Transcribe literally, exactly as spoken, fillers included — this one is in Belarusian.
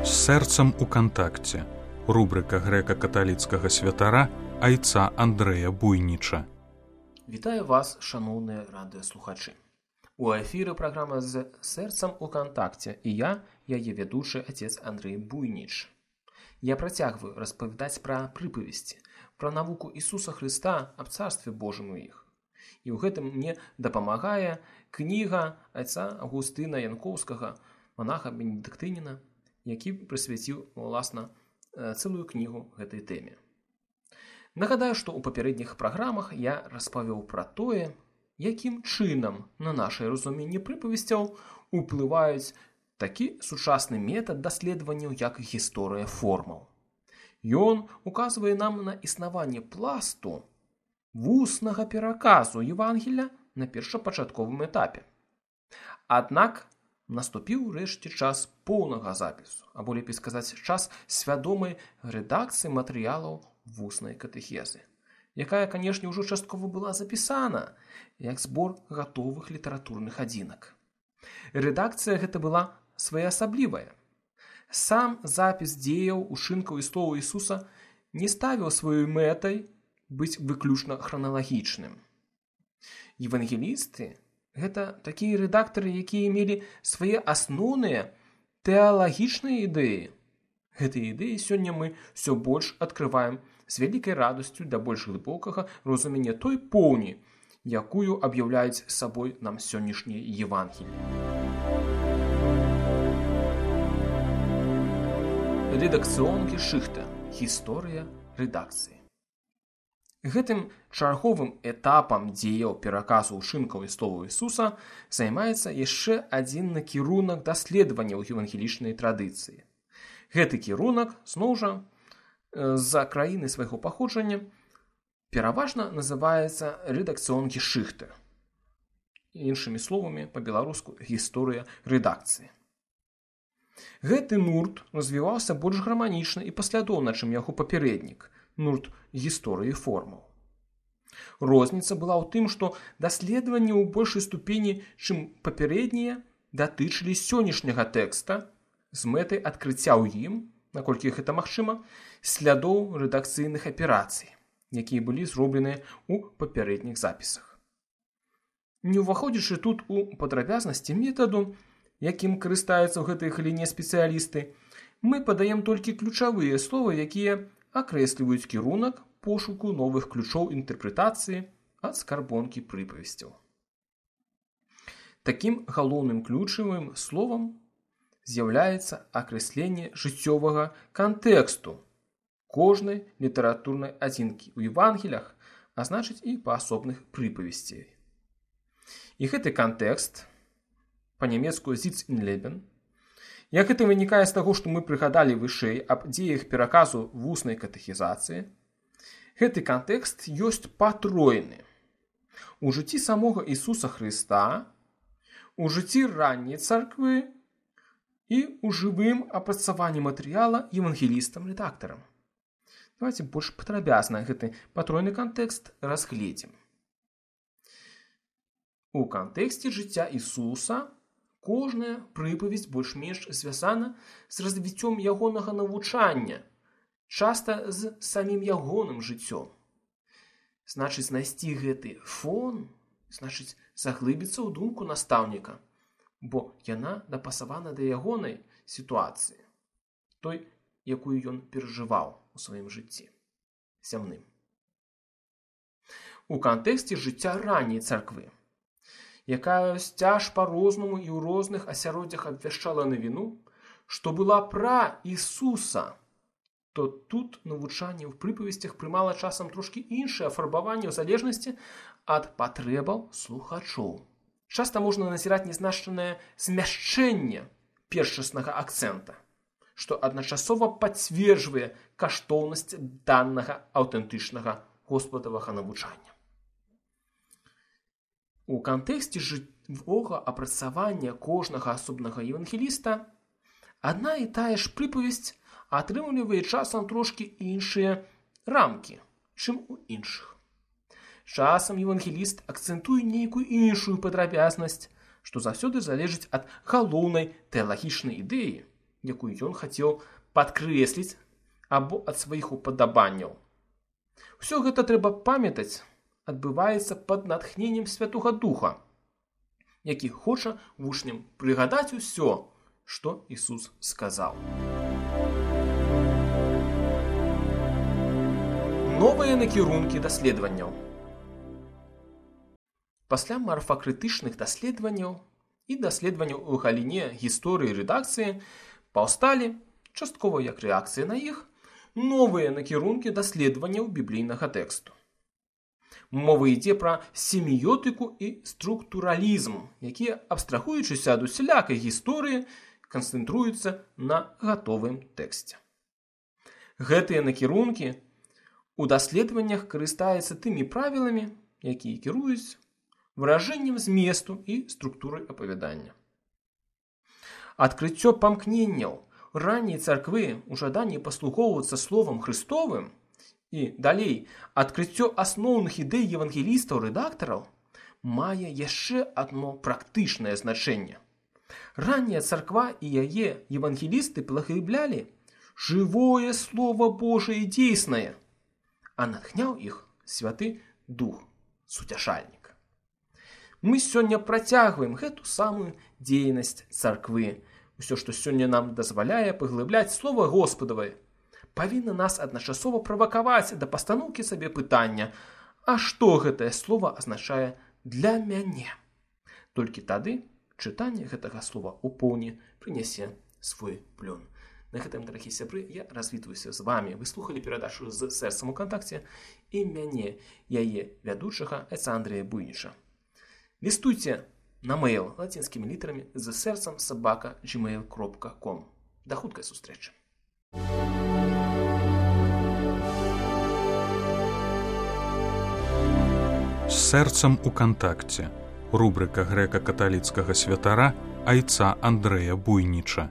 З сэрцам у кантакце. Рубрика грэка-каталіцкага святара айца Андрэя Буйніча. Вітаю вас, шановныя радыёслухачы. У эфіры праграма з сэрцам у кантакце, і я, яе ведучы отец Андрей Буйніч. Я працягваю распавядаць пра прыпавесці, пра навуку Ісуса Хрыста аб Царстве Божым у іх. І ў гэтым мне дапамагае кніга айца Августына Янкоўскага, монаха бенедыктыніна, які прысвяціў, уласна, цэлую кнігу гэтай тэме. Нагадаю, што ў папярэдніх праграмах я распавёў пра тое, якім чынам на нашае разуменне прыпавесцяў уплываюць такі сучасны метад даследаванняў, як гісторыя формаў. Ён указвае нам на існаванне пласту вуснага пераказу Евангелля на першапачатковым этапе. Аднак наступіў рэшце час поўнага запісу, або лепей сказаць, час свядомай рэдакцыі матэрыялаў вуснай катэхезы, якая, канешне, ўжо часткова была запісана як збор гатовых літаратурных адзінак. Рэдакцыя гэта была своеасаблівая. Сам запіс дзеяў, учынкаў і словаў Ісуса не ставіў сваёй мэтай быць выключна храналагічным. Евангелісты гэта такія рэдактары, якія мелі свае асноўныя тэалагічныя ідэі. Гэтыя ідэі сёння мы ўсё больш адкрываем з вялікай радасцю да больш глыбокага разумення той поўні, якую аб'яўляюць сабой нам сённяшнія Евангеліі. Редакцыён-гешыхта. Гісторыя рэдакцыі. Гэтым чарговым этапам дзеяў пераказу ўчынкаў і словаў Ісуса займаецца яшчэ адзін накірунак даследавання ў евангелічнай традыцыі. Гэты кірунак, зноў жа, з-за краіны свайго паходжання, пераважна называецца редакцыён-гешыхта. Іншымі словамі, па-беларуску, гісторыя рэдакцыі. Гэты нурт развіваўся больш гарманічна і паслядоўна, чым яго папярэднік, нурт гісторыі формаў. Розніца была ў тым, што даследаванні ў большай ступені, чым папярэднія, датычылі сённяшняга тэкста з мэтай адкрыцця ў ім, наколькі гэта магчыма, слядоў рэдакцыйных аперацый, якія былі зробленыя ў папярэдніх запісах. Не ўваходзячы тут у падрабязнасці метаду, якім карыстаюцца ў гэтай галіне спецыялісты, мы падаем толькі ключавыя словы, якія акрэсліваюць кірунак пошуку новых ключоў інтэрпрэтацыі ад скарбонкі прыпавесцяў. Такім галоўным ключавым словам з'яўляецца акрэсленне жыццёвага кантэксту кожнай літаратурнай адзінкі ў Евангелях, а значыць і паасобных прыпавесцей. І гэты кантэкст, па-нямецку «Sitz in Leben», як гэта вынікае з таго, што мы прыгадалі вышэй аб дзеях пераказу вуснай катэхізацыі, гэты кантэкст ёсць патройны. У жыцці самога Ісуса Хрыста, у жыцці ранняй царквы і ў жывым апрацаванні матэрыяла евангелістам-рэдактарам. Давайте больш падрабязна гэты патройны кантэкст разгледзім. У кантэксце жыцця Ісуса кожная прыпавесць больш-менш звязана з развіццём ягонага навучання, часта з самім ягоным жыццём. Значыць, знайсці гэты фон, значыць, заглыбіцца ў думку настаўніка, бо яна дапасавана да ягонай сітуацыі, той, якую ён перажываў у сваім жыцці зямным. У кантэксце жыцця ранняй царквы, якая сцяж па-рознаму і ў розных асяроддзях абвяшчала навіну, што была пра Ісуса, то тут навучанне ў прыпавесцях прымала часам трошкі іншае афарбаванне ў залежнасці ад патрэбаў слухачоў. Часта можна назіраць нязначнае змяшчэнне першаснага акцэнта, што адначасова пацверджвае каштоўнасць данага аўтэнтычнага госпадавага навучання. У кантэксце жывога апрацавання кожнага асобнага евангеліста адна і тая ж прыпавесць атрымлівае часам трошкі іншыя рамкі, чым у іншых. Часам евангеліст акцэнтуе нейкую іншую падрабязнасць, што заўсёды залежыць ад галоўнай тэалагічнай ідэі, якую ён хацеў падкрэсліць або ад сваіх упадабанняў. Усё гэта трэба памятаць, адбываецца пад натхненнем Святога Духа, які хоча вучням прыгадаць усё, што Ісус сказаў. Новыя накірункі даследаванняў. Пасля марфакрытычных даследаванняў і даследаванняў у галіне гісторыі і рэдакцыі паўсталі, часткова як рэакцыя на іх, новыя накірункі даследаванняў біблійнага тэксту. Мова ідзе пра семіётыку і структуралізм, якія, абстрагуючыся ад усялякай гісторыі, канцэнтруюцца на гатовым тэксце. Гэтыя накірункі у даследаваннях карыстаюцца тымі правіламі, якія кіруюць выражэннем зместу і структурай апавядання. Адкрыццё памкненняў ранняй царквы ў жаданні паслугоўвацца словам Христовым і, далей, адкрыццё асноўных ідэй евангелістаў-рэдактараў мае яшчэ адно практычнае значэнне. Ранняя царква і яе евангелісты паглыблялі жывое Слово Божие дзейснае, а натхняў іх Святы Дух, суцяшальнік. Мы сёння працягваем гэту самую дзейнасць царквы. Усё, што сёння нам дазваляе паглыбляць Слова Господавае, павінна нас адначасова правакаваць да пастаноўкі сабе пытання: а што гэтае слова азначае для мяне? Толькі тады чытанне гэтага слова ў поўні прынясе свой плён. На гэтым, дарагі сябры, я развітваюся з вамі. Вы слухалі перадачу з сэрцам у кантакце і мяне, яе вядучага айца Андрэя Буйніча. Лістуйце на мейл лацінскімі літарамі з сэрцам сабака джимейл кропка ком. Да хуткай сустрэчы. З сэрцам у кантакце. Рубрыка грэка-каталіцкага святара айца Андрэя Буйніча.